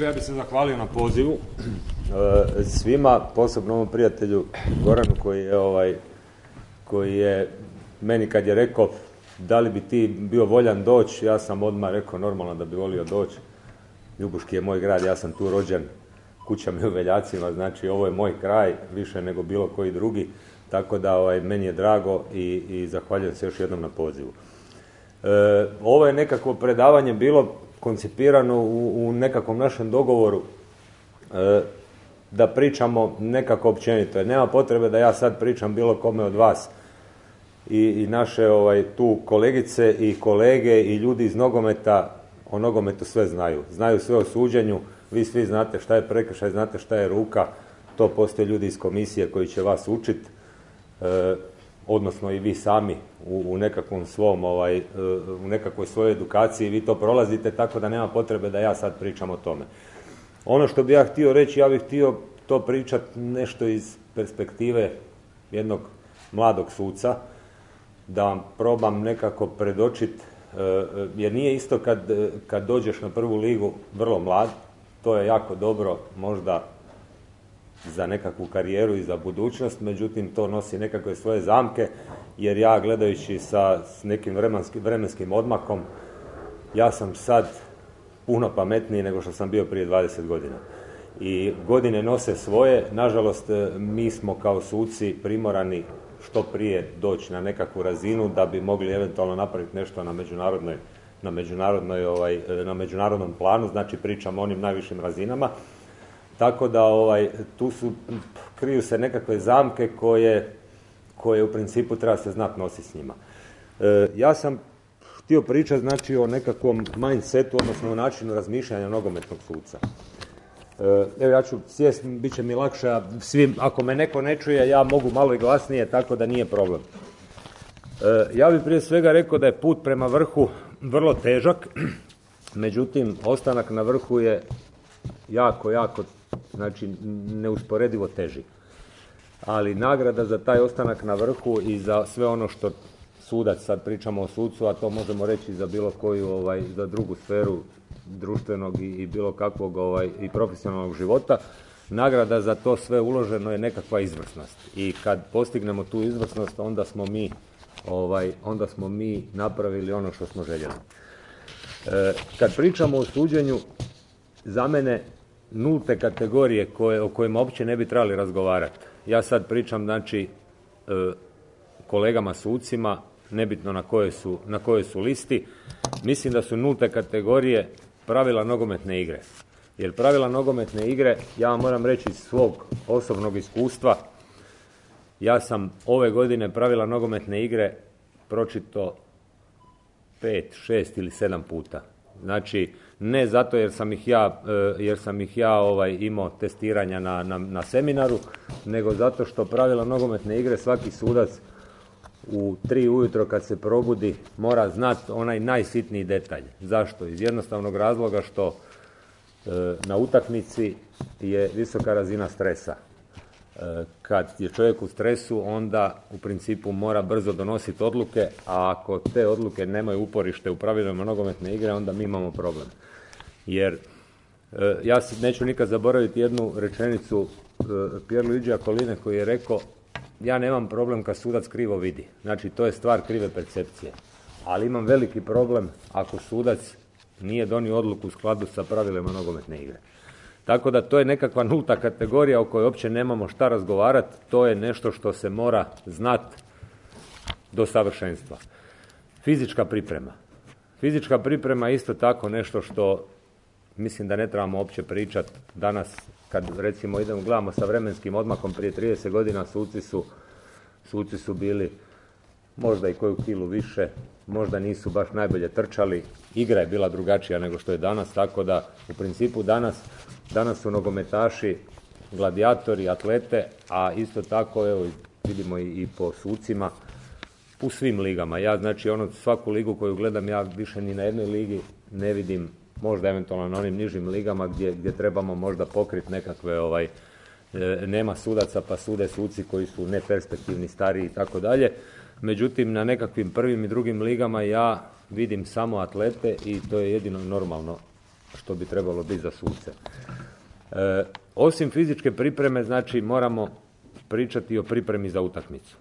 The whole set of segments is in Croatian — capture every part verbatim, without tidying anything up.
Ja bih se zahvalio na pozivu svima, posebno ovom prijatelju Goranu koji je, ovaj, koji je meni kad je rekao da li bi ti bio voljan doći, ja sam odmah rekao normalno da bi volio doći. Ljubuški je moj grad, ja sam tu rođen, kuća mi u Veljacima, znači ovo je moj kraj više nego bilo koji drugi, tako da ovaj, meni je drago i, i zahvaljujem se još jednom na pozivu. E, ovo je nekakvo predavanje bilo koncipirano u, u nekakvom našem dogovoru e, da pričamo nekako općenito. Jer nema potrebe da ja sad pričam bilo kome od vas i, i naše ovaj, tu kolegice i kolege i ljudi iz nogometa o nogometu sve znaju. Znaju sve o suđenju, vi svi znate šta je prekršaj, znate šta je ruka, to postoje ljudi iz komisije koji će vas učiti, e, odnosno i vi sami u, u nekakvom svom, ovaj, u nekakvoj svojoj edukaciji, vi to prolazite, tako da nema potrebe da ja sad pričam o tome. Ono što bi ja htio reći, ja bih htio to pričati nešto iz perspektive jednog mladog suca, da vam probam nekako predočiti, jer nije isto kad, kad dođeš na prvu ligu vrlo mlad, to je jako dobro možda za nekakvu karijeru i za budućnost, međutim to nosi nekakve svoje zamke, jer ja gledajući sa s nekim vremenskim, vremenskim odmakom, ja sam sad puno pametniji nego što sam bio prije dvadeset godina. I godine nose svoje, nažalost mi smo kao suci primorani što prije doći na nekakvu razinu da bi mogli eventualno napraviti nešto na međunarodnoj, na međunarodnoj, ovaj, na međunarodnom planu, znači pričamo o onim najvišim razinama. Tako da ovaj, tu su, kriju se nekakve zamke koje, koje u principu treba se znati nositi s njima. E, ja sam htio pričati znači o nekakvom mindsetu, odnosno o načinu razmišljanja nogometnog suca. E, evo ja ću sjest, bit će mi lakše, a svim, ako me neko ne čuje, ja mogu malo i glasnije, tako da nije problem. E, ja bih prije svega rekao da je put prema vrhu vrlo težak, međutim, ostanak na vrhu je jako, jako, znači neusporedivo teži. Ali nagrada za taj ostanak na vrhu i za sve ono što sudac, sad pričamo o sucu, a to možemo reći za bilo koju, ovaj, za drugu sferu društvenog i, i bilo kakvog ovaj, i profesionalnog života, nagrada za to sve uloženo je nekakva izvrsnost. I kad postignemo tu izvrsnost, onda smo mi, ovaj, onda smo mi napravili ono što smo željeli. E, kad pričamo o suđenju, za mene nulte kategorije koje, o kojima uopće ne bi trebali razgovarati. Ja sad pričam, znači, e, kolegama sucima, nebitno na kojoj su, na kojoj su listi, mislim da su nulte kategorije pravila nogometne igre. Jer pravila nogometne igre, ja vam moram reći iz svog osobnog iskustva, ja sam ove godine pravila nogometne igre pročito pet, šest ili sedam puta. Znači, ne zato jer sam ih ja, jer sam ih ja ovaj, imao testiranja na, na, na seminaru, nego zato što pravila nogometne igre svaki sudac u tri ujutro kad se probudi mora znati onaj najsitniji detalj. Zašto? Iz jednostavnog razloga što e, na utakmici je visoka razina stresa. E, kad je čovjek u stresu, onda u principu mora brzo donositi odluke, a ako te odluke nemaju uporište u pravilima nogometne igre, onda mi imamo problem. Jer e, ja neću nikad zaboraviti jednu rečenicu e, Pierluigija Colline koji je rekao: ja nemam problem kad sudac krivo vidi. Znači, to je stvar krive percepcije. Ali imam veliki problem ako sudac nije donio odluku u skladu sa pravilima nogometne igre. Tako da to je nekakva nulta kategorija o kojoj uopće nemamo šta razgovarati. To je nešto što se mora znati do savršenstva. Fizička priprema. Fizička priprema je isto tako nešto što mislim da ne trebamo uopće pričati danas. Kad recimo idemo, gledamo sa vremenskim odmakom, prije trideset godina suci su, suci su bili možda i koju kilu više, možda nisu baš najbolje trčali, igra je bila drugačija nego što je danas, tako da u principu danas, danas su nogometaši gladijatori, atlete, a isto tako evo, vidimo i, i po sucima u svim ligama. Ja znači ono svaku ligu koju gledam, ja više ni na jednoj ligi ne vidim, možda eventualno na onim nižim ligama gdje, gdje trebamo možda pokriti nekakve, ovaj, e, nema sudaca pa sude suci koji su neperspektivni, stariji i tako dalje. Međutim, na nekakvim prvim i drugim ligama ja vidim samo atlete i to je jedino normalno što bi trebalo biti za suce. E, osim fizičke pripreme, znači moramo pričati o pripremi za utakmicu.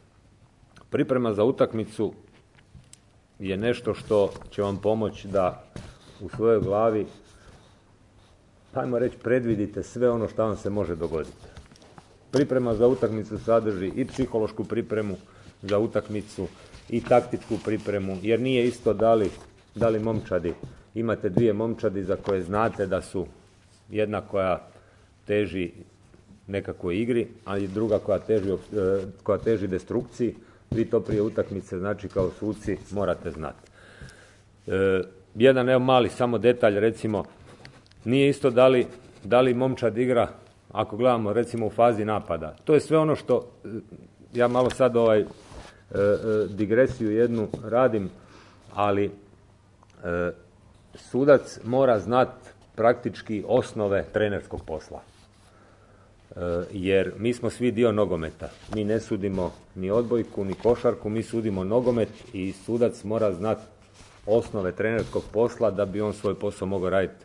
Priprema za utakmicu je nešto što će vam pomoći da u svojoj glavi, ajmo reći, predvidite sve ono što vam se može dogoditi. Priprema za utakmicu sadrži i psihološku pripremu za utakmicu i taktičku pripremu, jer nije isto da li, da li momčadi, imate dvije momčadi za koje znate da su jedna koja teži nekakvoj igri, ali druga koja teži, koja teži destrukciji. Vi to prije utakmice, znači kao suci, morate znati. E, jedan evo mali samo detalj, recimo, nije isto da li, da li momčad igra, ako gledamo recimo u fazi napada. To je sve ono što, ja malo sad ovaj e, e, digresiju jednu radim, ali e, sudac mora znati praktički osnove trenerskog posla. Jer mi smo svi dio nogometa. Mi ne sudimo ni odbojku, ni košarku, mi sudimo nogomet i sudac mora znati osnove trenerskog posla da bi on svoj posao mogao raditi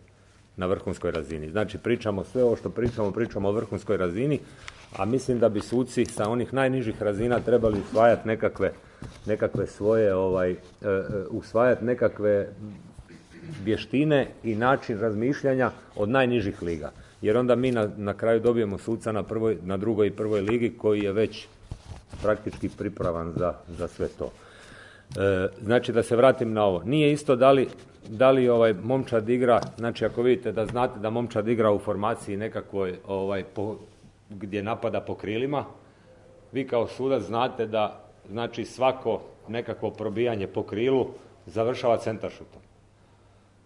na vrhunskoj razini. Znači pričamo sve ovo što pričamo, pričamo o vrhunskoj razini, a mislim da bi suci sa onih najnižih razina trebali usvajati nekakve, nekakve svoje, ovaj, uh, usvajati nekakve vještine i način razmišljanja od najnižih liga. Jer onda mi na, na kraju dobijemo suca na, prvoj, na drugoj i prvoj ligi koji je već praktički pripravan za, za sve to. E, znači da se vratim na ovo. Nije isto da li, da li ovaj momčad igra, znači ako vidite da znate da momčad igra u formaciji nekakvoj ovaj, po, gdje napada po krilima, vi kao sudac znate da znači svako nekakvo probijanje po krilu završava centaršutom.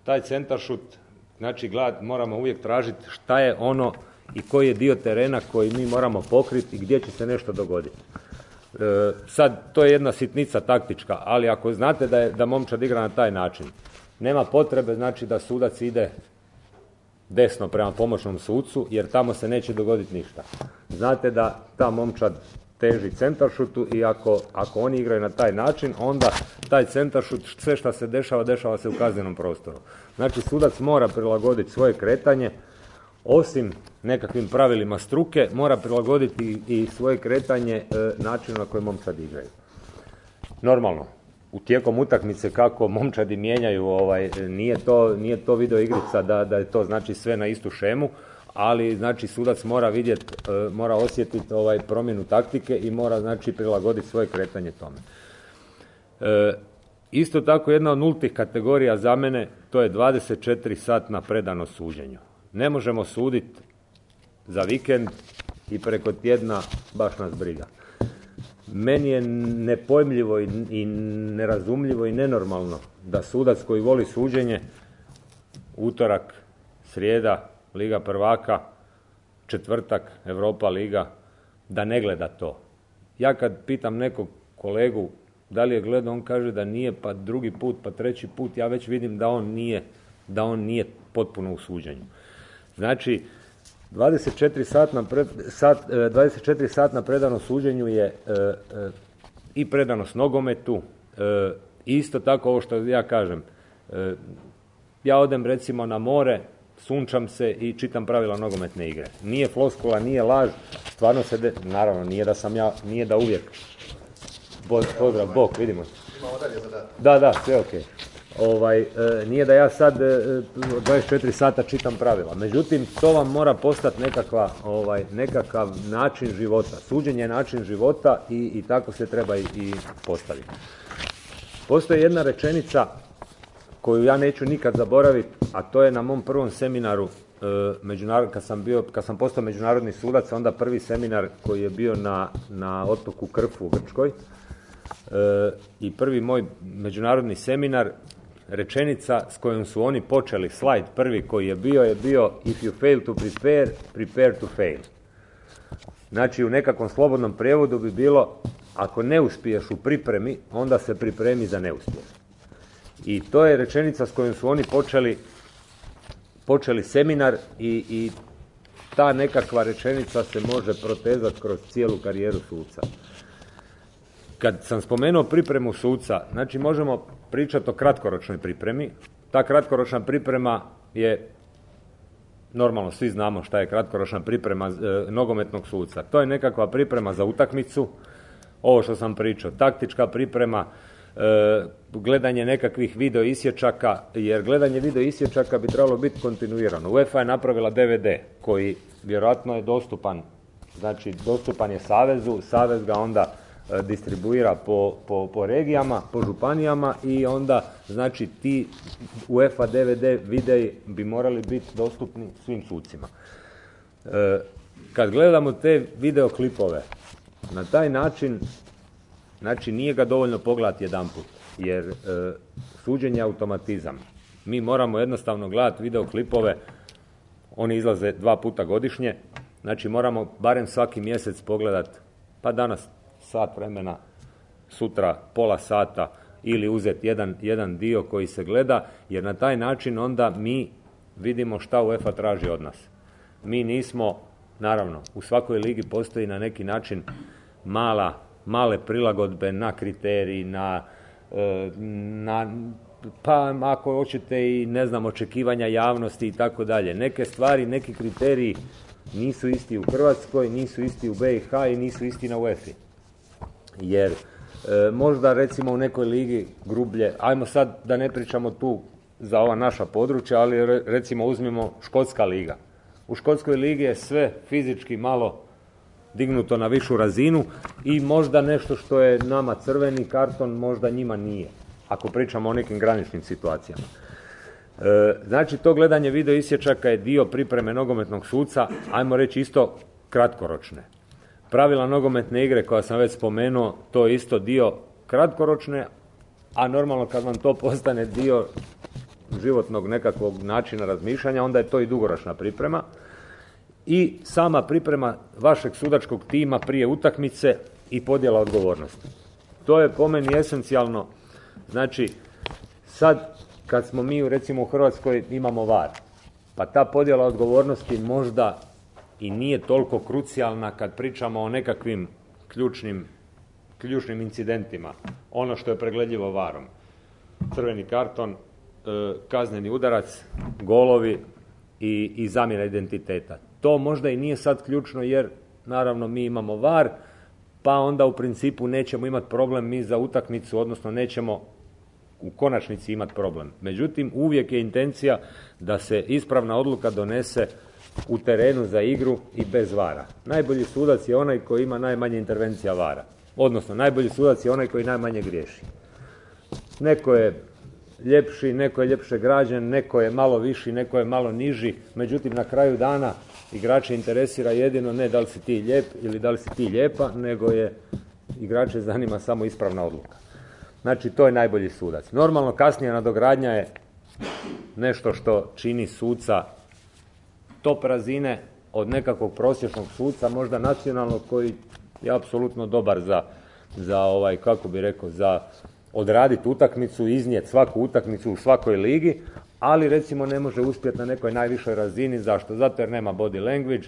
Taj centaršut, znači gled, moramo uvijek tražiti šta je ono i koji je dio terena koji mi moramo pokriti i gdje će se nešto dogoditi. E, sad, to je jedna sitnica taktička, ali ako znate da, je, da momčad igra na taj način, nema potrebe znači da sudac ide desno prema pomoćnom sucu, jer tamo se neće dogoditi ništa. Znate da ta momčad teži centaršutu i ako, ako oni igraju na taj način, onda taj centaršut, sve što se dešava, dešava se u kaznenom prostoru. Znači, sudac mora prilagoditi svoje kretanje, osim nekakvim pravilima struke, mora prilagoditi i svoje kretanje e, načinu na koji momčadi igraju. Normalno, u tijekom utakmice kako momčadi mijenjaju, ovaj, nije to, nije to video igrica da, da je to znači sve na istu šemu, ali znači sudac mora vidjeti, e, mora osjetiti ovaj promjenu taktike i mora znači prilagoditi svoje kretanje tome. E, isto tako jedna od nultih kategorija za mene, to je dvadeset četiri satna predanost suđenju. Ne možemo suditi za vikend i preko tjedna baš nas briga. Meni je nepojmljivo i, i nerazumljivo i nenormalno da sudac koji voli suđenje, utorak, srijeda, Liga prvaka, četvrtak, Europa liga, da ne gleda to. Ja kad pitam nekog kolegu da li je gledao, on kaže da nije, pa drugi put, pa treći put, ja već vidim da on nije, da on nije potpuno u suđenju. Znači, dvadeset četiri satna, pred, sat, dvadeset četiri satna predanost suđenju je e, e, i predanost nogometu, e, isto tako ovo što ja kažem. E, ja odem recimo na more, sunčam se i čitam pravila nogometne igre. Nije floskula, nije laž, stvarno se, de... naravno, nije da sam ja, nije da uvijek. Pozdrav, Bog, vidimo. Da, da, sve ok. Ovaj, e, nije da ja sad e, dvadeset četiri sata čitam pravila. Međutim, to vam mora postati nekakva, ovaj, nekakav način života. Suđenje je način života i, i tako se treba i, i postaviti. Postoji jedna rečenica koju ja neću nikad zaboraviti, a to je na mom prvom seminaru, e, međunarod, kad sam bio, kad sam postao međunarodni sudac, onda prvi seminar koji je bio na, na otoku Krfu u Grčkoj, e, i prvi moj međunarodni seminar, rečenica s kojom su oni počeli, slajd prvi koji je bio, je bio if you fail to prepare, prepare to fail. Znači, u nekakvom slobodnom prijevodu bi bilo, ako ne uspiješ u pripremi, onda se pripremi za neuspjeh. I to je rečenica s kojom su oni počeli, počeli seminar i, i ta nekakva rečenica se može protezati kroz cijelu karijeru suca. Kad sam spomenuo pripremu suca, znači možemo pričati o kratkoročnoj pripremi. Ta kratkoročna priprema je normalno svi znamo šta je kratkoročna priprema e, nogometnog suca. To je nekakva priprema za utakmicu, ovo što sam pričao, taktička priprema, e, gledanje nekakvih video isječaka, jer gledanje video isječaka bi trebalo biti kontinuirano. UEFA je napravila D V D koji vjerojatno je dostupan, znači dostupan je Savezu, Savez ga onda e, distribuira po, po, po regijama, po županijama i onda znači ti UEFA D V D videi bi morali biti dostupni svim sucima. E, kad gledamo te videoklipove, na taj način, znači nije ga dovoljno pogledati jedanput, jer e, suđenje je automatizam. Mi moramo jednostavno gledati videoklipove, oni izlaze dva puta godišnje, znači moramo barem svaki mjesec pogledati, pa danas sat vremena, sutra pola sata ili uzeti jedan, jedan dio koji se gleda, jer na taj način onda mi vidimo šta UEFA traži od nas. Mi nismo, naravno, u svakoj ligi postoji na neki način mala, male prilagodbe na kriteriji, na, na pa ako hoćete i ne znam, očekivanja javnosti i tako dalje. Neke stvari, neki kriteriji nisu isti u Hrvatskoj, nisu isti u B i H i nisu isti na UEFA. Jer e, možda recimo u nekoj ligi grublje, ajmo sad da ne pričamo tu za ova naša područja, ali re, recimo uzmimo Škotska liga. U Škotskoj ligi je sve fizički malo dignuto na višu razinu i možda nešto što je nama crveni karton, možda njima nije, ako pričamo o nekim graničnim situacijama. E, znači to gledanje video isječaka je dio pripreme nogometnog suca, ajmo reći isto kratkoročne. Pravila nogometne igre koja sam već spomenuo, to je isto dio kratkoročne, a normalno kad vam to postane dio životnog nekakvog načina razmišljanja, onda je to i dugoročna priprema. I sama priprema vašeg sudačkog tima prije utakmice i podjela odgovornosti. To je po meni esencijalno. Znači, sad kad smo mi recimo u Hrvatskoj imamo V A R, pa ta podjela odgovornosti možda i nije toliko krucijalna kad pričamo o nekakvim ključnim, ključnim incidentima. Ono što je pregledljivo V A R-om. Crveni karton, kazneni udarac, golovi i, i zamjena identiteta. To možda i nije sad ključno jer naravno mi imamo V A R, pa onda u principu nećemo imati problem mi za utakmicu, odnosno nećemo u konačnici imati problem. Međutim, uvijek je intencija da se ispravna odluka donese u terenu za igru i bez V A R-a. Najbolji sudac je onaj koji ima najmanje intervencija V A R-a. Odnosno, najbolji sudac je onaj koji najmanje griješi. Neko je ljepši, neko je ljepše građen, neko je malo viši, neko je malo niži. Međutim, na kraju dana igrače interesira jedino ne da li si ti lijep ili da li si ti lijepa, nego je igrače zanima samo ispravna odluka. Znači, to je najbolji sudac. Normalno, kasnije nadogradnja je nešto što čini suca top razine od nekakvog prosječnog suca, možda nacionalnog, koji je apsolutno dobar za, za ovaj, kako bi rekao, za odraditi utakmicu, iznijeti svaku utakmicu u svakoj ligi, ali recimo ne može uspjeti na nekoj najvišoj razini. Zašto? Zato jer nema body language,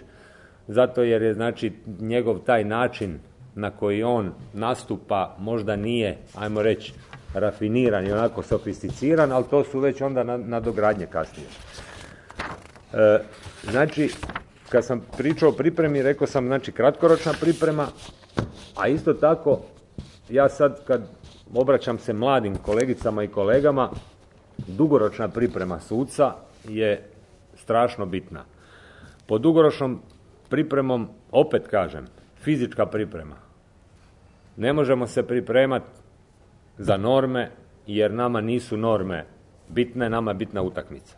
zato jer je znači njegov taj način na koji on nastupa možda nije, ajmo reći, rafiniran i onako sofisticiran, ali to su već onda nadogradnje kasnije. E, znači, kad sam pričao o pripremi, rekao sam znači kratkoročna priprema, a isto tako ja sad kad obraćam se mladim kolegicama i kolegama, dugoročna priprema suca je strašno bitna. Pod dugoročnom pripremom, opet kažem, fizička priprema. Ne možemo se pripremati za norme, jer nama nisu norme bitne, nama je bitna utakmica.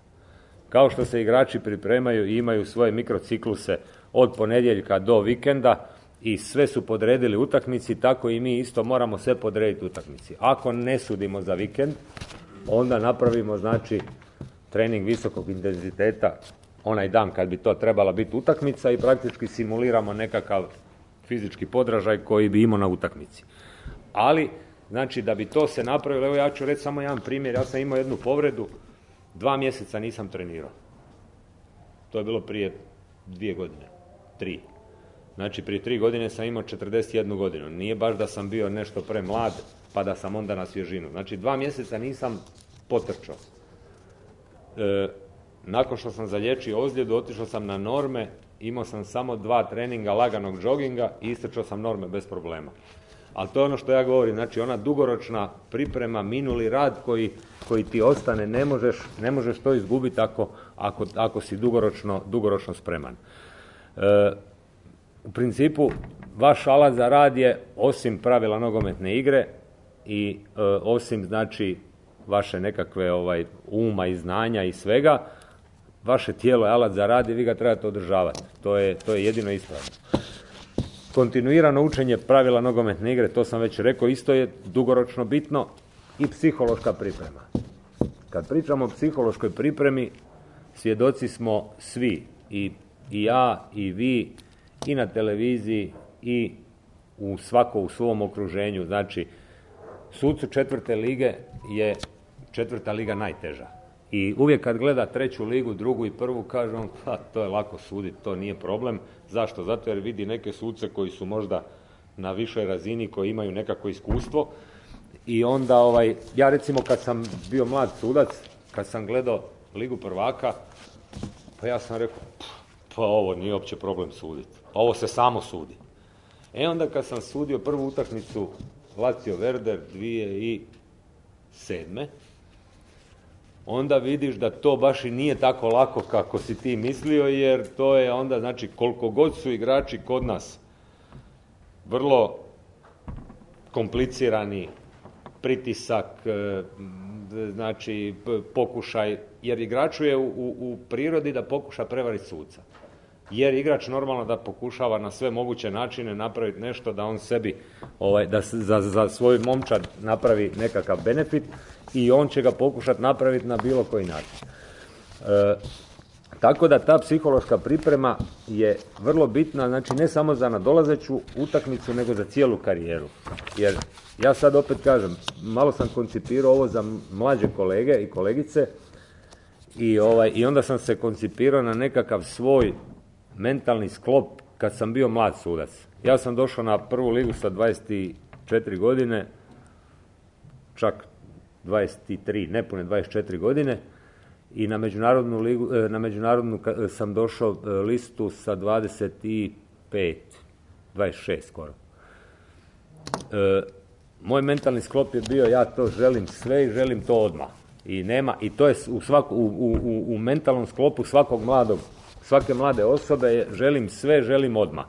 Kao što se igrači pripremaju i imaju svoje mikrocikluse od ponedjeljka do vikenda i sve su podredili utakmici, tako i mi isto moramo sve podrediti utakmici. Ako ne sudimo za vikend, onda napravimo znači trening visokog intenziteta onaj dan kad bi to trebala biti utakmica i praktički simuliramo nekakav fizički podražaj koji bi imao na utakmici. Ali, znači da bi to se napravilo, evo ja ću reći samo jedan primjer, ja sam imao jednu povredu, dva mjeseca nisam trenirao. To je bilo prije dvije godine, tri. Znači prije tri godine sam imao četrdeset jednu godinu. Nije baš da sam bio nešto premlad, pa da sam onda na svježinu. Znači dva mjeseca nisam potrčao. E, nakon što sam zaliječio ozljedu, otišao sam na norme, imao sam samo dva treninga laganog džoginga i istrčao sam norme bez problema. Ali to je ono što ja govorim, znači ona dugoročna priprema, minuli rad koji, koji ti ostane, ne možeš, ne možeš to izgubiti ako, ako, ako si dugoročno, dugoročno spreman. E, u principu, vaš alat za rad je, osim pravila nogometne igre i e, osim, znači, vaše nekakve ovaj, uma i znanja i svega, vaše tijelo je alat za rad i vi ga trebate održavati. To je, to je jedino ispravno. Kontinuirano učenje pravila nogometne igre, to sam već rekao, isto je dugoročno bitno, i psihološka priprema. Kad pričamo o psihološkoj pripremi, svjedoci smo svi, i, i ja, i vi, i na televiziji, i u svako u svom okruženju. Znači, sucu četvrte lige je četvrta liga najteža. I uvijek kad gleda treću ligu, drugu i prvu, kaže on, pa to je lako suditi, to nije problem. Zašto? Zato jer vidi neke suce koji su možda na višoj razini, koji imaju nekako iskustvo. I onda, ovaj, ja recimo kad sam bio mlad sudac, kad sam gledao ligu prvaka, pa ja sam rekao, pa ovo nije uopće problem suditi. Ovo se samo sudi. E onda kad sam sudio prvu utakmicu Lazio Werder dvije tisuće sedme. onda vidiš da to baš i nije tako lako kako si ti mislio, jer to je onda, znači, koliko god su igrači kod nas vrlo komplicirani, pritisak, znači pokušaj, jer igraču je u, u prirodi da pokuša prevariti suca. Jer igrač normalno da pokušava na sve moguće načine napraviti nešto da on sebi, ovaj, da za, za svoj momčad napravi nekakav benefit i on će ga pokušati napraviti na bilo koji način. E, tako da ta psihološka priprema je vrlo bitna, znači ne samo za nadolazeću utakmicu, nego za cijelu karijeru. Jer ja sad opet kažem, malo sam koncipirao ovo za mlađe kolege i kolegice i, ovaj, i onda sam se koncipirao na nekakav svoj mentalni sklop kad sam bio mlad sudac. Ja sam došao na prvu ligu sa dvadeset četiri godine, čak dvadeset tri, nepune dvadeset četiri godine, i na međunarodnu ligu, na međunarodnu sam došao listu sa dvadeset pet, dvadeset šest skoro. E, moj mentalni sklop je bio, ja to želim sve i želim to odmah. I nema, i to je u, svaku, u, u, u mentalnom sklopu svakog mladog, svake mlade osobe je želim sve, želim odmah.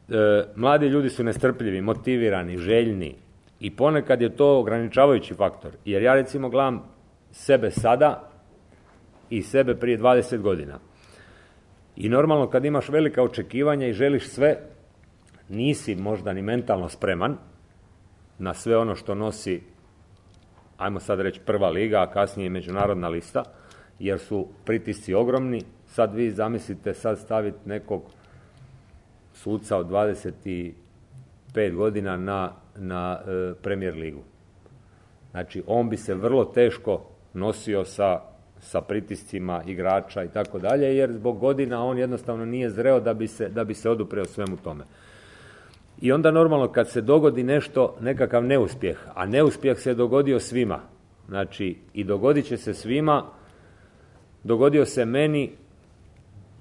E, mladi ljudi su nestrpljivi, motivirani, željni i ponekad je to ograničavajući faktor. Jer ja recimo gledam sebe sada i sebe prije dvadeset godina. I normalno kad imaš velika očekivanja i želiš sve, nisi možda ni mentalno spreman na sve ono što nosi, ajmo sad reći, prva liga, a kasnije međunarodna lista, jer su pritisci ogromni. Sad vi zamislite sad staviti nekog suca od dvadeset pet godina na, na e, Premier ligu. Znači, on bi se vrlo teško nosio sa, sa pritiscima igrača i tako dalje, jer zbog godina on jednostavno nije zreo da bi se, da bi se odupreo svemu tome. I onda normalno kad se dogodi nešto, nekakav neuspjeh, a neuspjeh se dogodio svima, znači i dogodit će se svima, dogodio se meni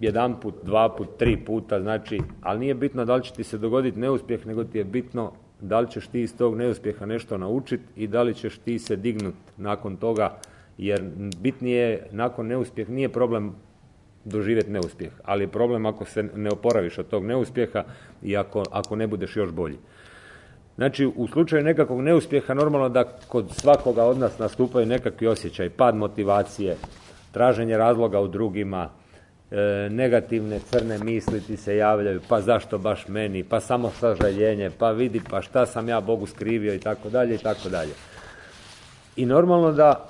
jedan put, dva put, tri puta, znači, ali nije bitno da li će ti se dogoditi neuspjeh, nego ti je bitno da li ćeš ti iz tog neuspjeha nešto naučiti i da li ćeš ti se dignuti nakon toga, jer bitnije nakon neuspjeha, nije problem doživjeti neuspjeh, ali je problem ako se ne oporaviš od tog neuspjeha i ako, ako ne budeš još bolji. Znači, u slučaju nekakvog neuspjeha normalno da kod svakoga od nas nastupaju nekakvi osjećaj, pad motivacije, traženje razloga u drugima, e, negativne crne misli ti se javljaju, pa zašto baš meni, pa samo sažaljenje, pa vidi, pa šta sam ja Bogu skrivio i tako dalje i tako dalje. I normalno da,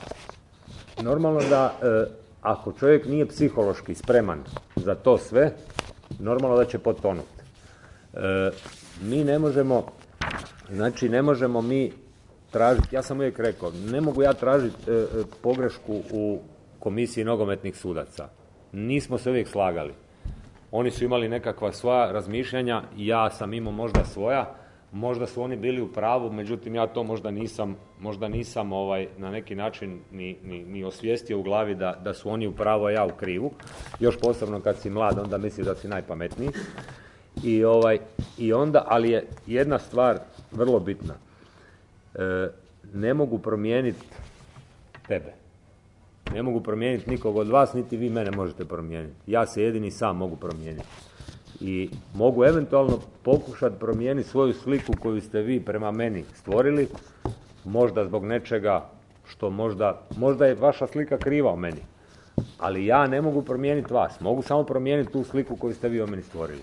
normalno da e, ako čovjek nije psihološki spreman za to sve, normalno da će potonuti. E, mi ne možemo, znači ne možemo mi tražiti, ja sam uvijek rekao, ne mogu ja tražiti e, pogrešku u komisiji nogometnih sudaca. Nismo se uvijek slagali. Oni su imali nekakva svoja razmišljanja, ja sam imao možda svoja, možda su oni bili u pravu, međutim ja to možda nisam, možda nisam ovaj, na neki način ni, ni, ni osvijestio u glavi da, da su oni u pravu, a ja u krivu. Još posebno kad si mlad, onda misliš da si najpametniji. I, ovaj, i onda, ali je jedna stvar vrlo bitna. E, ne mogu promijeniti tebe. Ne mogu promijeniti nikog od vas, niti vi mene možete promijeniti. Ja se jedini sam mogu promijeniti. I mogu eventualno pokušati promijeniti svoju sliku koju ste vi prema meni stvorili, možda zbog nečega što možda, možda je vaša slika kriva o meni. Ali ja ne mogu promijeniti vas, mogu samo promijeniti tu sliku koju ste vi o meni stvorili.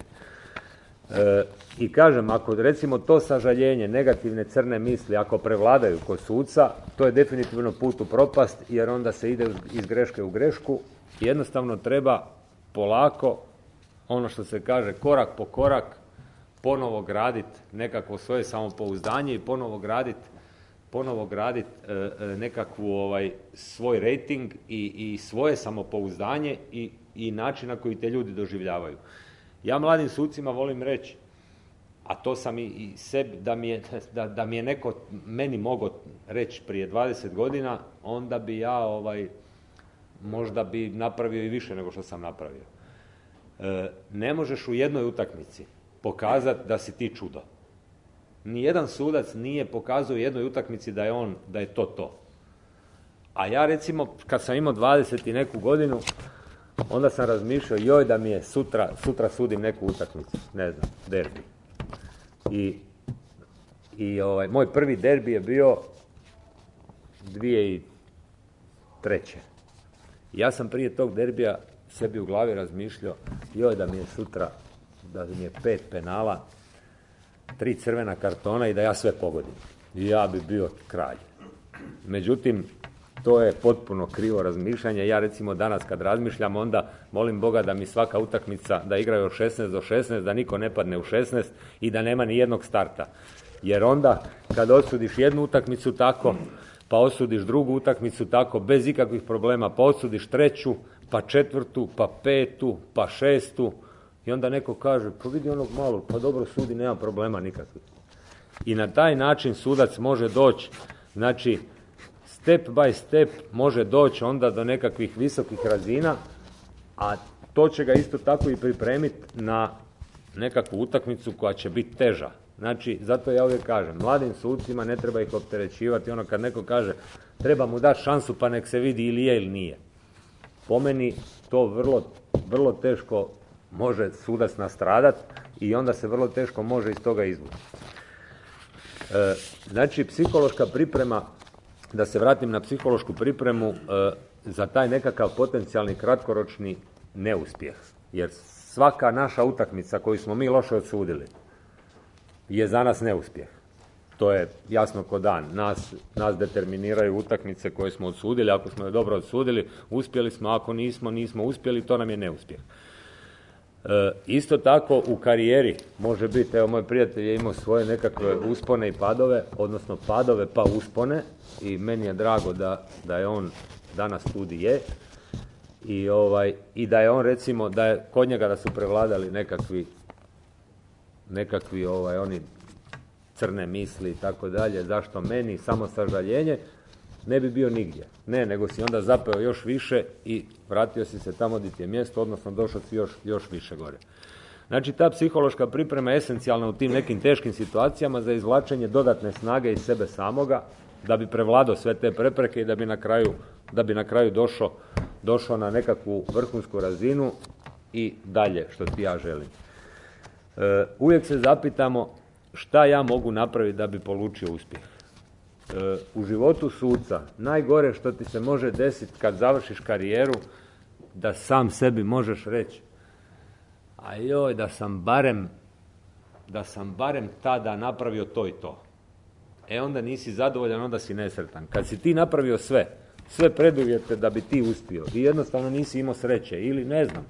E, I kažem, ako recimo to sažaljenje, negativne crne misli, ako prevladaju kod suca, to je definitivno put u propast, jer onda se ide iz greške u grešku. Jednostavno treba polako, ono što se kaže, korak po korak, ponovo graditi nekakvo svoje samopouzdanje i ponovo graditi ponovo graditi e, e, nekakvu ovaj, svoj rating i, i svoje samopouzdanje i, i način na koji te ljudi doživljavaju. Ja mladim sucima volim reći, a to sam i, i sebi, da mi, je, da, da mi je neko meni mogao reći prije dvadeset godina, onda bi ja ovaj, možda bi napravio i više nego što sam napravio. E, ne možeš u jednoj utakmici pokazati da si ti čudo. Nijedan sudac nije pokazao u jednoj utakmici da je on, da je to to. A ja recimo, kad sam imao dvadeset i neku godinu, onda sam razmišljao, joj da mi je sutra, sutra sudim neku utakmicu, ne znam, derbi. I, i ovaj, moj prvi derbi je bio dvije tisuće treće. Ja sam prije tog derbija sebi u glavi razmišljao, joj da mi je sutra, da mi je pet penala, tri crvena kartona i da ja sve pogodim. I ja bi bio kralj. Međutim, to je potpuno krivo razmišljanje. Ja recimo danas kad razmišljam, onda molim Boga da mi svaka utakmica, da igraju od šesnaest do šesnaest, da niko ne padne u šesnaest i da nema ni jednog starta. Jer onda kad osudiš jednu utakmicu tako, pa osudiš drugu utakmicu tako, bez ikakvih problema, pa osudiš treću, pa četvrtu, pa petu, pa šestu, i onda neko kaže, pa vidi onog malog, pa dobro sudi, nema problema nikakvih. I na taj način sudac može doći, znači, step by step može doći onda do nekakvih visokih razina, a to će ga isto tako i pripremiti na nekakvu utakmicu koja će biti teža. Znači, zato ja uvijek kažem, mladim sucima ne treba ih opterećivati, ono kad neko kaže, treba mu dati šansu pa nek se vidi ili je ili nije. Po meni to vrlo, vrlo teško može sudac nastradati i onda se vrlo teško može iz toga izvući. E, znači, psihološka priprema, da se vratim na psihološku pripremu, e, za taj nekakav potencijalni kratkoročni neuspjeh. Jer svaka naša utakmica koju smo mi loše odsudili je za nas neuspjeh. To je jasno ko dan. Nas, nas determiniraju utakmice koje smo odsudili. Ako smo je dobro odsudili, uspjeli smo. Ako nismo, nismo uspjeli, to nam je neuspjeh. E, isto tako u karijeri može biti, evo moj prijatelj je imao svoje nekakve uspone i padove, odnosno padove pa uspone, i meni je drago da, da je on danas tu di je, i, ovaj, i da je on recimo, da je kod njega da su prevladali nekakvi nekakvi ovaj, oni crne misli i tako dalje, zašto meni, samo sažaljenje, ne bi bio nigdje. Ne, nego si onda zapeo još više i vratio si se tamo gdje ti je mjesto, odnosno došao si još, još više gore. Znači, ta psihološka priprema je esencijalna u tim nekim teškim situacijama za izvlačenje dodatne snage iz sebe samoga, da bi prevladao sve te prepreke i da bi na kraju, da bi na kraju došao, došao na nekakvu vrhunsku razinu i dalje, što ti ja želim. E, uvijek se zapitamo šta ja mogu napraviti da bi polučio uspjeh. E, u životu suca najgore što ti se može desiti kad završiš karijeru, da sam sebi možeš reći, a joj, da sam barem da sam barem tada napravio to i to. E onda nisi zadovoljan, onda si nesretan. Kad si ti napravio sve, sve preduvjete da bi ti uspio i jednostavno nisi imao sreće ili ne znam,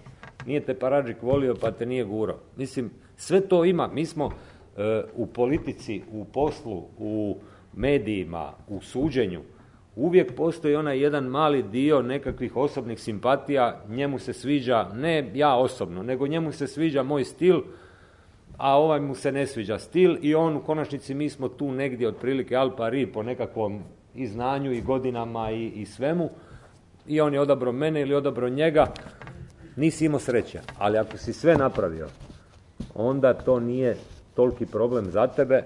nije te Paradžik volio pa te nije gurao. Mislim, sve to ima. Mi smo e, u politici, u poslu, u medijima, u suđenju, uvijek postoji onaj jedan mali dio nekakvih osobnih simpatija, njemu se sviđa, ne ja osobno, nego njemu se sviđa moj stil, a ovaj mu se ne sviđa stil i on u konačnici, mi smo tu negdje otprilike al pari po nekakvom i znanju i godinama i, i svemu, i on je odabrao mene ili odabrao njega, nisi imao sreće. Ali ako si sve napravio, onda to nije toliki problem za tebe,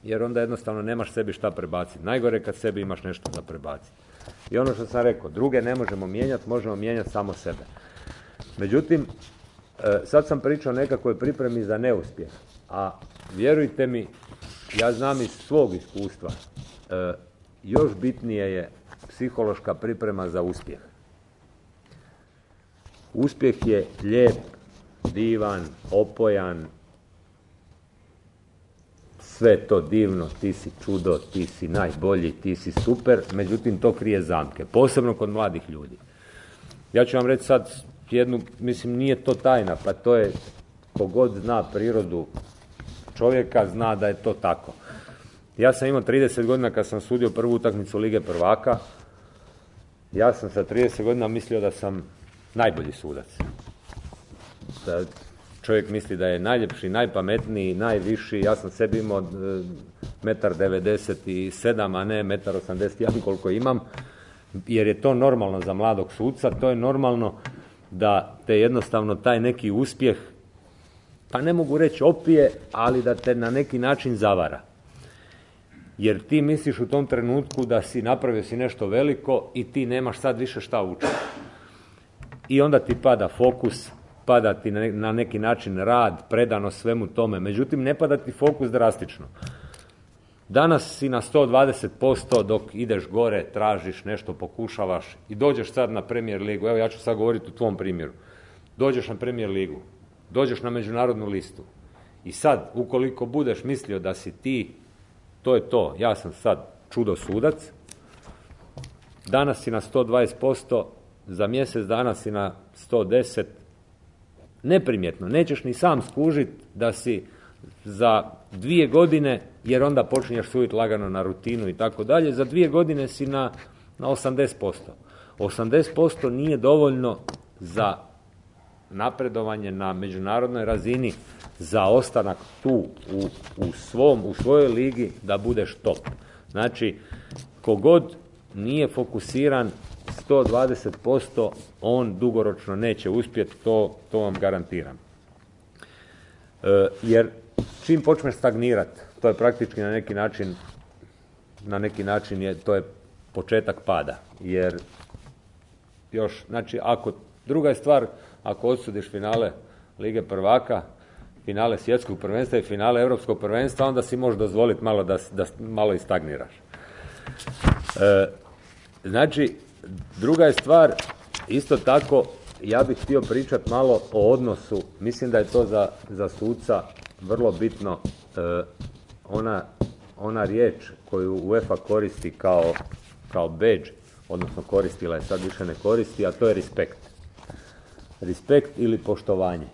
jer onda jednostavno nemaš sebi šta prebaciti. Najgore kad sebi imaš nešto za prebaciti. I ono što sam rekao, druge ne možemo mijenjati, možemo mijenjati samo sebe. Međutim, sad sam pričao o nekakvoj pripremi za neuspjeh, a vjerujte mi, ja znam iz svog iskustva, još bitnije je psihološka priprema za uspjeh. Uspjeh je lijep, divan, opojan, sve to divno, ti si čudo, ti si najbolji, ti si super, međutim to krije zamke, posebno kod mladih ljudi. Ja ću vam reći sad jednu, mislim nije to tajna, pa to je, kogod zna prirodu čovjeka zna da je to tako. Ja sam imao trideset godina kad sam sudio prvu utakmicu Lige prvaka, ja sam sa trideset godina mislio da sam najbolji sudac. Da čovjek misli da je najljepši, najpametniji, najviši. Ja sam sebi imao metar devedeset sedam, a ne metar osamdeset jedan koliko imam, jer je to normalno za mladog suca, to je normalno da te jednostavno taj neki uspjeh, pa ne mogu reći opije, ali da te na neki način zavara. Jer ti misliš u tom trenutku da si napravio si nešto veliko i ti nemaš sad više šta učiti. I onda ti pada fokus, pada ti na neki način rad, predano svemu tome. Međutim, ne pada ti fokus drastično. Danas si na sto dvadeset posto dok ideš gore, tražiš nešto, pokušavaš i dođeš sad na Premier ligu. Evo ja ću sad govoriti u tvom primjeru. Dođeš na Premier ligu, dođeš na međunarodnu listu i sad, ukoliko budeš mislio da si ti, to je to, ja sam sad čudo sudac, danas si na sto dvadeset posto, za mjesec dana si na sto deset, neprimjetno, nećeš ni sam skužiti da si za dvije godine, jer onda počinješ suditi lagano na rutinu i tako dalje, za dvije godine si na, na osamdeset posto. osamdeset posto nije dovoljno za napredovanje na međunarodnoj razini, za ostanak tu u, u, svom, u svojoj ligi da budeš top. Znači, kogod nije fokusiran sto dvadeset posto, on dugoročno neće uspjeti, to, to vam garantiram. E, jer čim počneš stagnirati, to je praktički na neki način, na neki način je, to je početak pada. Jer još, znači, ako, druga je stvar, ako odsudiš finale Lige prvaka, finale svjetskog prvenstva i finale europskog prvenstva, onda si možeš dozvoliti malo da, da malo i stagniraš. E, znači, druga je stvar, isto tako, ja bih htio pričati malo o odnosu, mislim da je to za, za suca vrlo bitno, e, ona, ona riječ koju UEFA koristi kao, kao badge, odnosno koristila je, sad više ne koristi, a to je respekt. Respekt ili poštovanje.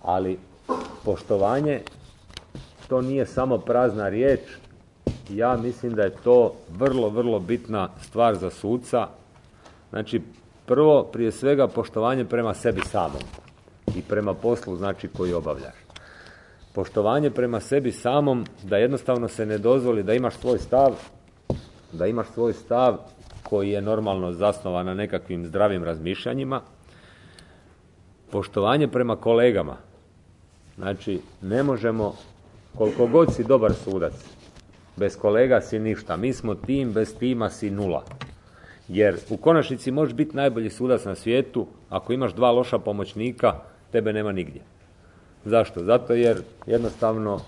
Ali poštovanje, to nije samo prazna riječ, ja mislim da je to vrlo, vrlo bitna stvar za suca. Znači, prvo, prije svega, poštovanje prema sebi samom i prema poslu, znači, koji obavljaš. Poštovanje prema sebi samom, da jednostavno se ne dozvoli da imaš svoj stav, da imaš svoj stav koji je normalno zasnovan na nekakvim zdravim razmišljanjima. Poštovanje prema kolegama. Znači, ne možemo, koliko god si dobar sudac, bez kolega si ništa. Mi smo tim, bez tima si nula. Jer u konačnici možeš biti najbolji sudac na svijetu, ako imaš dva loša pomoćnika, tebe nema nigdje. Zašto? Zato jer jednostavno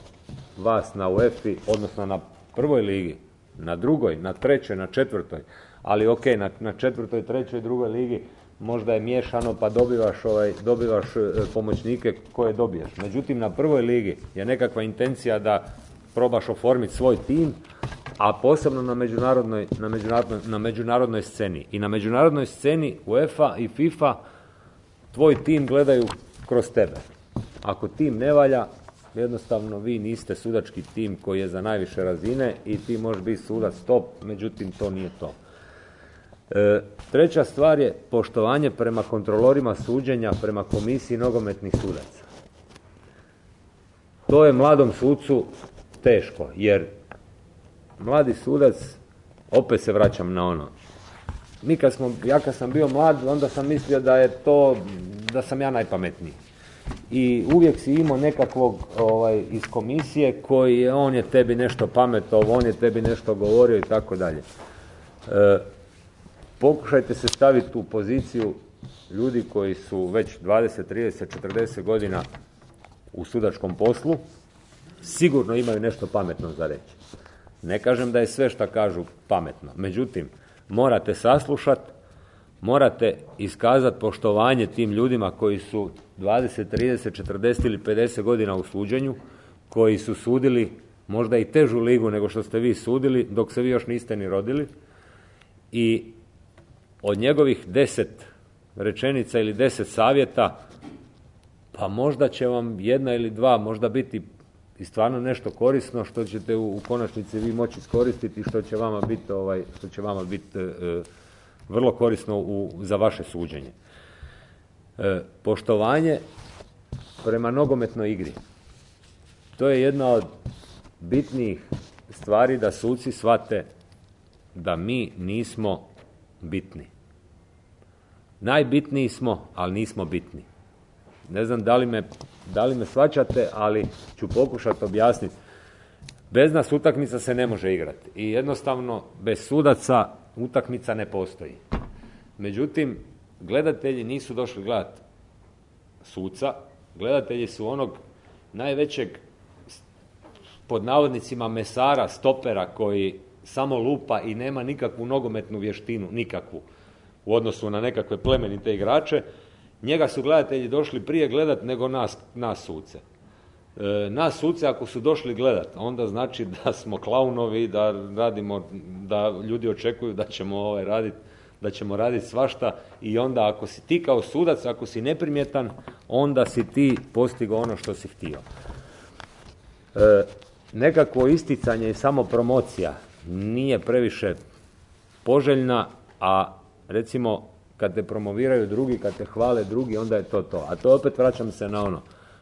vas na UEFA-i, odnosno na prvoj ligi, na drugoj, na trećoj, na četvrtoj, ali ok, na, na četvrtoj, trećoj, drugoj ligi možda je miješano pa dobivaš, ovaj, dobivaš pomoćnike koje dobiješ. Međutim, na prvoj ligi je nekakva intencija da probaš oformiti svoj tim, a posebno na međunarodnoj, na međunarodnoj, na međunarodnoj sceni. I na međunarodnoj sceni UEFA i FIFA tvoj tim gledaju kroz tebe. Ako tim ne valja, jednostavno vi niste sudački tim koji je za najviše razine i ti možeš biti sudac top, međutim to nije to. E, treća stvar je poštovanje prema kontrolorima suđenja, prema komisiji nogometnih sudaca. to je mladom sucu teško, jer mladi sudac, opet se vraćam na ono, mi kad smo, ja kad sam bio mlad, onda sam mislio da je to, da sam ja najpametniji. I uvijek si imao nekakvog ovaj, iz komisije koji je, on je tebi nešto pametovao, on je tebi nešto govorio i tako dalje. E, pokušajte se staviti u poziciju ljudi koji su već dvadeset, trideset, četrdeset godina u sudačkom poslu, sigurno imaju nešto pametno za reći. Ne kažem da je sve što kažu pametno, međutim, morate saslušati, morate iskazati poštovanje tim ljudima koji su dvadeset, trideset, četrdeset ili pedeset godina u suđenju, koji su sudili možda i težu ligu nego što ste vi sudili, dok se vi još niste ni rodili, i od njegovih deset rečenica ili deset savjeta, pa možda će vam jedna ili dva možda biti i stvarno nešto korisno što ćete u, u konačnici vi moći iskoristiti i što će vama biti ovaj, što će vama biti e, vrlo korisno u, za vaše suđenje. E, poštovanje prema nogometnoj igri. To je jedna od bitnijih stvari da suci shvate da mi nismo bitni. Najbitniji smo, ali nismo bitni. Ne znam da li me, da li me shvaćate, ali ću pokušati objasniti. Bez nas utakmica se ne može igrati i jednostavno bez sudaca utakmica ne postoji. Međutim, gledatelji nisu došli gledati suca, gledatelji su onog najvećeg, pod navodnicima, mesara, stopera koji samo lupa i nema nikakvu nogometnu vještinu, nikakvu, u odnosu na nekakve plemenite igrače. Njega su gledatelji došli prije gledat nego nas, nas suce. E, nas suce ako su došli gledat, onda znači da smo klaunovi, da radimo, da ljudi očekuju da ćemo ovaj raditi, da ćemo raditi svašta, i onda ako si ti kao sudac, ako si neprimjetan, onda si ti postigao ono što si htio. E, nekakvo isticanje i samopromocija nije previše poželjna, a recimo kad te promoviraju drugi, kad te hvale drugi, onda je to to. A to opet vraćam se na ono,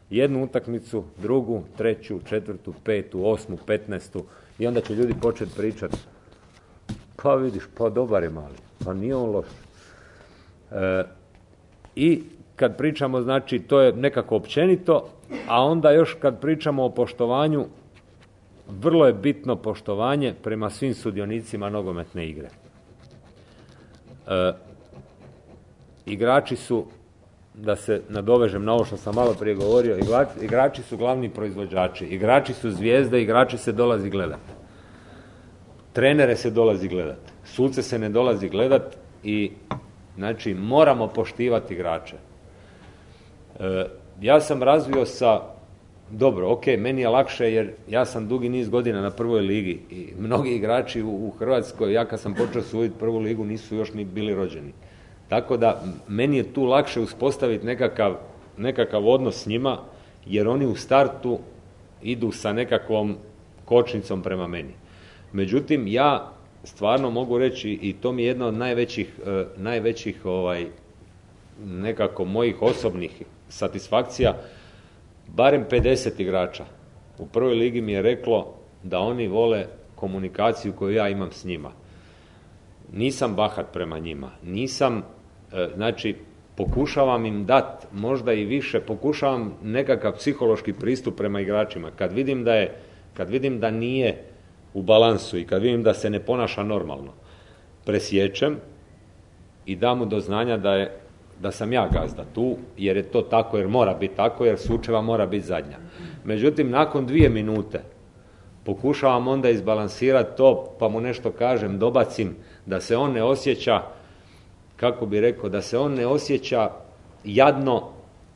jednu utakmicu, drugu, treću, četvrtu, petu, osmu, petnaestu, i onda će ljudi početi pričati, pa vidiš, pa dobar je mali, pa nije on loš. E, I kad pričamo, znači, to je nekako općenito, a onda još kad pričamo o poštovanju, vrlo je bitno poštovanje prema svim sudionicima nogometne igre. E, igrači su, da se nadovežem na ovo što sam malo prije govorio, igrači, igrači su glavni proizvođači, igrači su zvijezde, igrači se dolazi gledati. Trenere se dolazi gledati, suce se ne dolazi gledati i znači moramo poštivati igrače. E, ja sam razvio sa, dobro, ok, meni je lakše jer ja sam dugi niz godina na prvoj ligi i mnogi igrači u, u Hrvatskoj, ja kad sam počeo suditi prvu ligu, nisu još ni bili rođeni. Tako da meni je tu lakše uspostaviti nekakav, nekakav odnos s njima, jer oni u startu idu sa nekakvom kočnicom prema meni. Međutim, ja stvarno mogu reći, i to mi je jedna od najvećih, eh, najvećih ovaj, nekako mojih osobnih satisfakcija, barem pedeset igrača u prvoj ligi mi je reklo da oni vole komunikaciju koju ja imam s njima. Nisam bahat prema njima, nisam, e, znači, pokušavam im dati možda i više, pokušavam nekakav psihološki pristup prema igračima. Kad vidim da je, kad vidim da nije u balansu i kad vidim da se ne ponaša normalno, presječem i dam mu do znanja da je, da sam ja gazda tu, jer je to tako, jer mora biti tako, jer sučeva mora biti zadnja. Međutim, nakon dvije minute pokušavam onda izbalansirati to, pa mu nešto kažem, dobacim, da se on ne osjeća, kako bi rekao, da se on ne osjeća jadno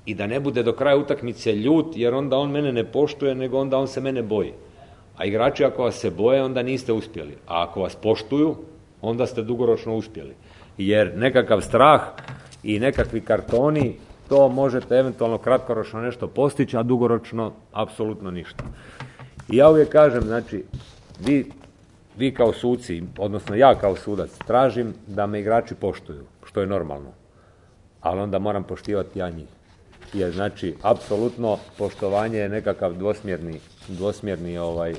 i da ne bude do kraja utakmice ljut, jer onda on mene ne poštuje, nego onda on se mene boji. A igrači ako vas se boje, onda niste uspjeli. A ako vas poštuju, onda ste dugoročno uspjeli. Jer nekakav strah i nekakvi kartoni, to možete eventualno kratkoročno nešto postići, a dugoročno apsolutno ništa. I ja uvijek kažem, znači, vi, vi kao suci, odnosno ja kao sudac, tražim da me igrači poštuju, što je normalno. Ali onda moram poštivati ja njih. je znači apsolutno poštovanje je nekakav dvosmjerni, dvosmjerni ovaj,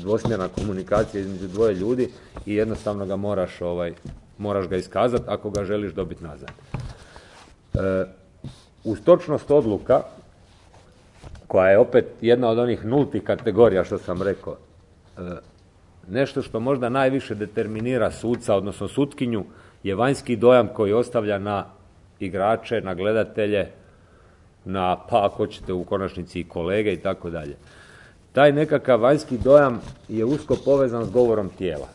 dvosmjerna komunikacija između dvoje ljudi i jednostavno ga moraš, ovaj, moraš ga iskazati ako ga želiš dobiti nazad. E, uz točnost odluka, koja je opet jedna od onih nultih kategorija što sam rekao, e, nešto što možda najviše determinira suca, odnosno sutkinju, je vanjski dojam koji ostavlja na igrače, na gledatelje, na, pa ako ćete u konačnici i kolege i tako dalje. Taj nekakav vanjski dojam je usko povezan s govorom tijela.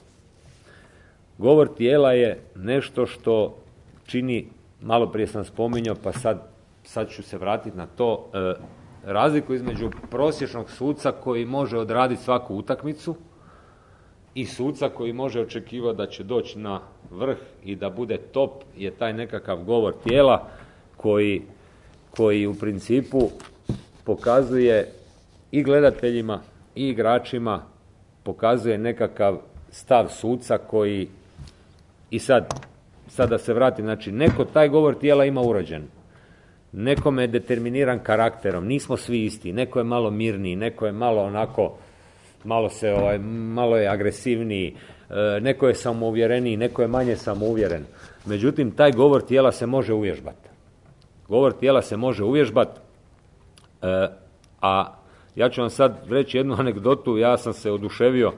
Govor tijela je nešto što čini, malo prije sam spominjao, pa sad, sad ću se vratiti na to, e, razliku između prosječnog suca koji može odraditi svaku utakmicu i suca koji može očekivati da će doći na vrh i da bude top, je taj nekakav govor tijela koji, koji u principu pokazuje i gledateljima i igračima, pokazuje nekakav stav suca koji, i sad, sad da se vratim, znači neko taj govor tijela ima urođen. Nekome je determiniran karakterom, nismo svi isti, neko je malo mirniji, neko je malo onako, malo se ovaj, malo je agresivniji, e, neko je samouvjereniji, neko je manje samouvjeren. Međutim, taj govor tijela se može uvježbati. Govor tijela se može uvježbati, e, a ja ću vam sad reći jednu anegdotu, ja sam se oduševio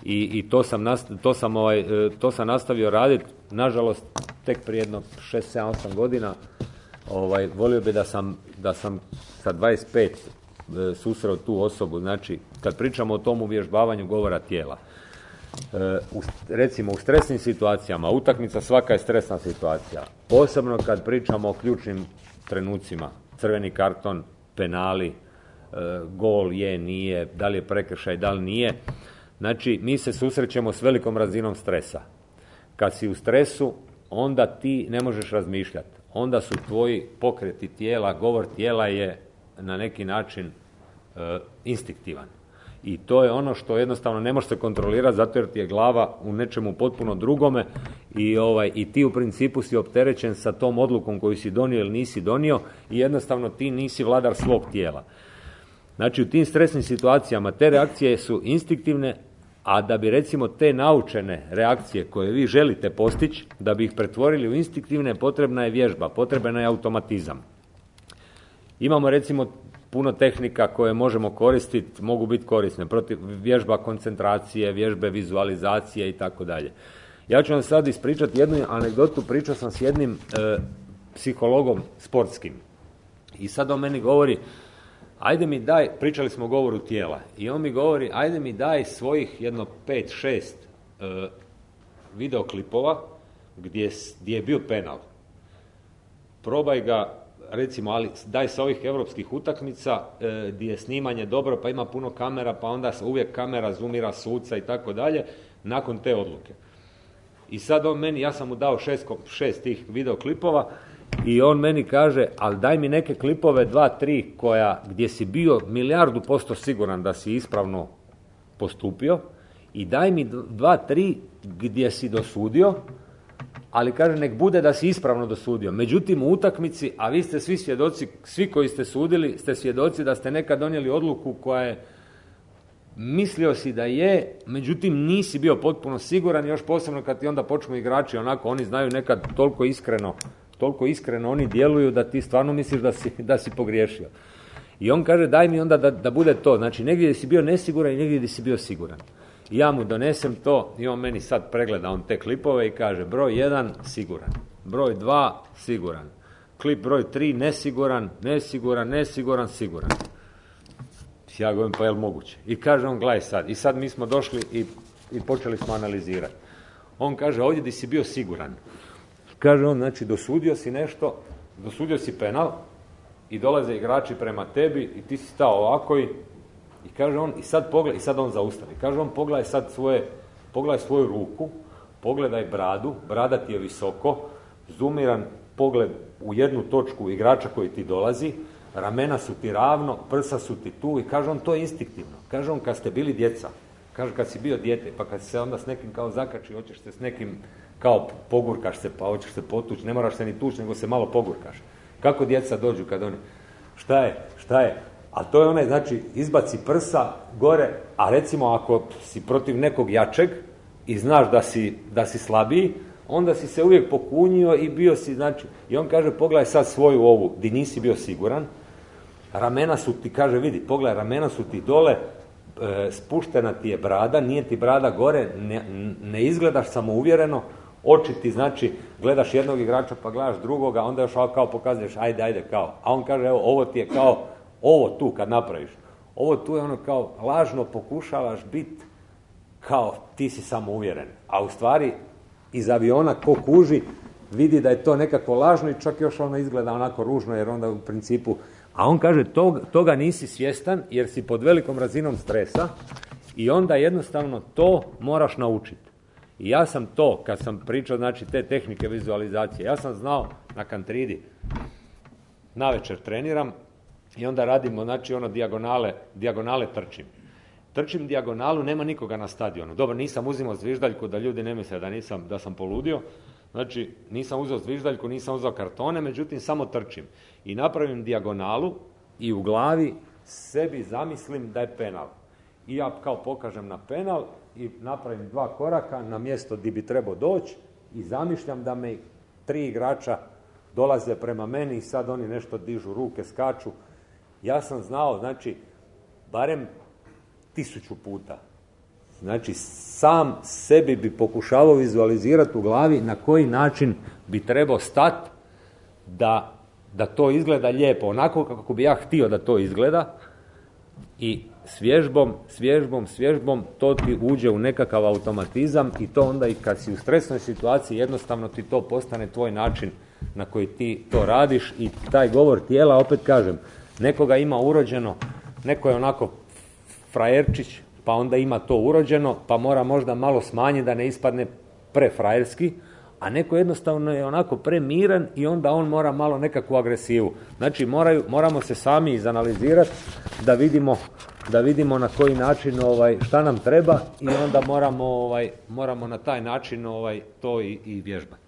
i, i to, sam nast, to, sam ovaj, e, to sam nastavio raditi, nažalost, tek prije jedno šest, sedam, osam godina. Ovaj, volio bi da sam, da sam sa dvadeset pet e, susreo tu osobu. Znači, kad pričamo o tom uvježbavanju govora tijela, e, u, recimo u stresnim situacijama, utakmica svaka je stresna situacija, posebno kad pričamo o ključnim trenucima, crveni karton, penali, e, gol je, nije, da li je prekršaj, da li nije. Znači, mi se susrećemo s velikom razinom stresa. Kad si u stresu, onda ti ne možeš razmišljati. Onda su tvoji pokreti tijela, govor tijela je na neki način e, instinktivan. I to je ono što jednostavno ne može se kontrolirati zato jer ti je glava u nečemu potpuno drugome i, ovaj, i ti u principu si opterećen sa tom odlukom koju si donio ili nisi donio i jednostavno ti nisi vladar svog tijela. Znači u tim stresnim situacijama te reakcije su instinktivne, a da bi recimo te naučene reakcije koje vi želite postići, da bi ih pretvorili u instinktivne, potrebna je vježba, potreban je automatizam. Imamo recimo puno tehnika koje možemo koristiti, mogu biti korisne, protiv vježba koncentracije, vježbe vizualizacije i tako dalje. Ja ću vam sad ispričati jednu anegdotu, pričao sam s jednim e, psihologom sportskim i sad on meni govori, ajde mi daj, pričali smo o govoru tijela, i on mi govori, ajde mi daj svojih jedno pet, šest e, videoklipova gdje, gdje je bio penal. Probaj ga, recimo, ali daj sa ovih europskih utakmica e, gdje je snimanje dobro, pa ima puno kamera, pa onda uvijek kamera zoomira suca i tako dalje, nakon te odluke. I sad on meni, ja sam mu dao šest, šest tih videoklipova, i on meni kaže, ali daj mi neke klipove, dva, tri, koja, gdje si bio milijardu posto siguran da si ispravno postupio i daj mi dva, tri gdje si dosudio, ali kaže, nek bude da si ispravno dosudio. Međutim, u utakmici, a vi ste svi svjedoci, svi koji ste sudili, ste svjedoci da ste nekad donijeli odluku koja je, mislio si da je, međutim nisi bio potpuno siguran, još posebno kad ti onda počnu igrači, onako, oni znaju nekad toliko iskreno, toliko iskreno oni djeluju da ti stvarno misliš da si, da si pogriješio. I on kaže, daj mi onda da, da bude to. Znači, negdje gdje si bio nesiguran i negdje gdje si bio siguran. I ja mu donesem to i on meni sad pregleda on te klipove i kaže, broj jedan, siguran. Broj dva, siguran. Klip broj tri, nesiguran, nesiguran, nesiguran, siguran. Ja govorim, pa je li moguće? I kaže on, gledaj sad. I sad mi smo došli i, i počeli smo analizirati. On kaže, ovdje gdje si bio siguran. Kaže on, znači, dosudio si nešto, dosudio si penal i dolaze igrači prema tebi i ti si stao ovako i, i kaže on, i sad pogledaj, i sad on zaustavi. Kaže on, pogledaj sad svoje, pogledaj svoju ruku, pogledaj bradu, brada ti je visoko, zoomiran pogled u jednu točku igrača koji ti dolazi, ramena su ti ravno, prsa su ti tu i kaže on, to je instinktivno. Kaže on, kad ste bili djeca, kaže kad si bio dijete, pa kad si se onda s nekim kao zakači, hoćeš se s nekim kao pogurkaš se, pa hoćeš se potući, ne moraš se ni tući, nego se malo pogurkaš. Kako djeca dođu kad oni... šta je, šta je. A to je onaj, znači, izbaci prsa gore, a recimo ako si protiv nekog jačeg i znaš da si, da si slabiji, onda si se uvijek pokunio i bio si, znači, i on kaže, pogledaj sad svoju ovu, di nisi bio siguran, ramena su ti, kaže, vidi, pogledaj, ramena su ti dole, e, spuštena ti je brada, nije ti brada gore, ne, ne izgledaš samouvjereno, oči ti, znači, gledaš jednog igrača pa gledaš drugoga, onda još kao pokazuješ, ajde, ajde, kao. A on kaže, evo, ovo ti je kao, ovo tu kad napraviš, ovo tu je ono kao, lažno pokušavaš biti kao ti si samouvjeren. A u stvari, iz aviona ko kuži, vidi da je to nekako lažno i čak još ono izgleda onako ružno, jer onda u principu, a on kaže, tog, toga nisi svjestan jer si pod velikom razinom stresa i onda jednostavno to moraš naučiti. I ja sam to, kad sam pričao, znači, te tehnike vizualizacije, ja sam znao na Kantridi, navečer treniram i onda radimo, znači, ono dijagonale, dijagonale trčim. Trčim dijagonalu, nema nikoga na stadionu. Dobro, nisam uzimao zviždaljku da ljudi ne misle da, nisam, da sam poludio. Znači, nisam uzeo zviždaljku, nisam uzeo kartone, međutim, samo trčim. I napravim dijagonalu i u glavi sebi zamislim da je penal. I ja kao pokažem na penal i napravim dva koraka na mjesto gdje bi trebao doći i zamišljam da me tri igrača dolaze prema meni i sad oni nešto dižu ruke, skaču. Ja sam znao, znači, barem tisuću puta. Znači, sam sebi bi pokušavao vizualizirati u glavi na koji način bi trebao stati da, da to izgleda lijepo, onako kako bi ja htio da to izgleda i s vježbom, s vježbom, s vježbom to ti uđe u nekakav automatizam i to onda i kad si u stresnoj situaciji jednostavno ti to postane tvoj način na koji ti to radiš i taj govor tijela, opet kažem, nekoga ima urođeno, neko je onako frajerčić, pa onda ima to urođeno, pa mora možda malo smanjiti da ne ispadne prefrajerski, a neko jednostavno je onako premiran i onda on mora malo nekakvu agresivu. Znači moraju, moramo se sami izanalizirati da vidimo, da vidimo na koji način ovaj, šta nam treba i onda moramo, ovaj, moramo na taj način ovaj, to i, i vježbati.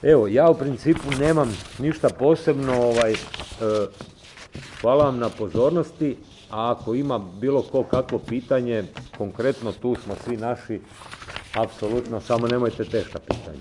Evo, ja u principu nemam ništa posebno, ovaj, e, hvala vam na pozornosti, a ako ima bilo ko kakvo pitanje, konkretno tu smo svi naši, apsolutno, samo nemojte teška pitanja.